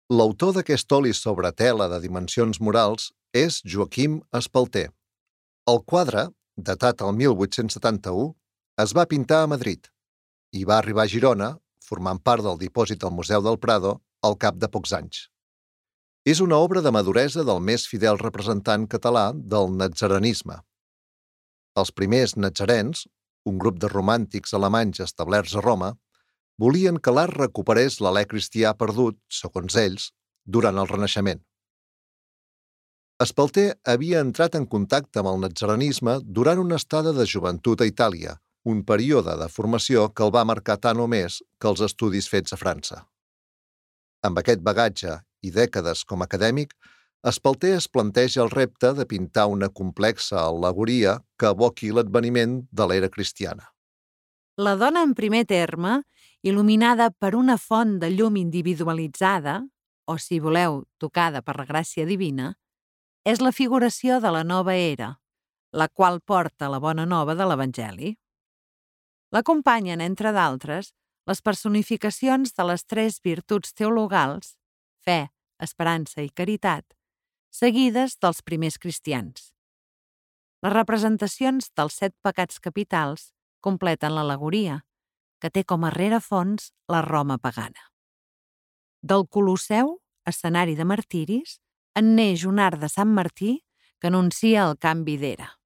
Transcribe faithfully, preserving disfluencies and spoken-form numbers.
L'autor d'aquest oli sobre tela de dimensions morals és Joaquim Espalter. El quadre, datat el mil vuit-cents setanta-u, es va pintar a Madrid i va arribar a Girona, formant part del dipòsit del Museu del Prado, al cap de pocs anys. És una obra de maduresa del més fidel representant català del natzarenisme. Els primers natzarens, un grup de romàntics alemanys establerts a Roma, volien que l'art recuperés l'alè cristià perdut, segons ells, durant el Renaixement. Espalter havia entrat en contacte amb el natzarenisme durant una estada de joventut a Itàlia, un període de formació que el va marcar tant o més que els estudis fets a França. Amb aquest bagatge i dècades com a acadèmic, Espalter es planteja el repte de pintar una complexa al·legoria que evoqui l'adveniment de l'era cristiana. La dona en primer terme, il·luminada per una font de llum individualitzada, o, si voleu, tocada per la gràcia divina, és la figuració de la nova era, la qual porta la bona nova de l'Evangeli. L'acompanyen, entre d'altres, les personificacions de les tres virtuts teologals, fe, esperança i caritat, seguides dels primers cristians. Les representacions dels set pecats capitals completen l'al·legoria, que té com a rerefons la Roma pagana. Del Colosseu, escenari de martiris, en neix un arc de Sant Martí que anuncia el canvi d'era.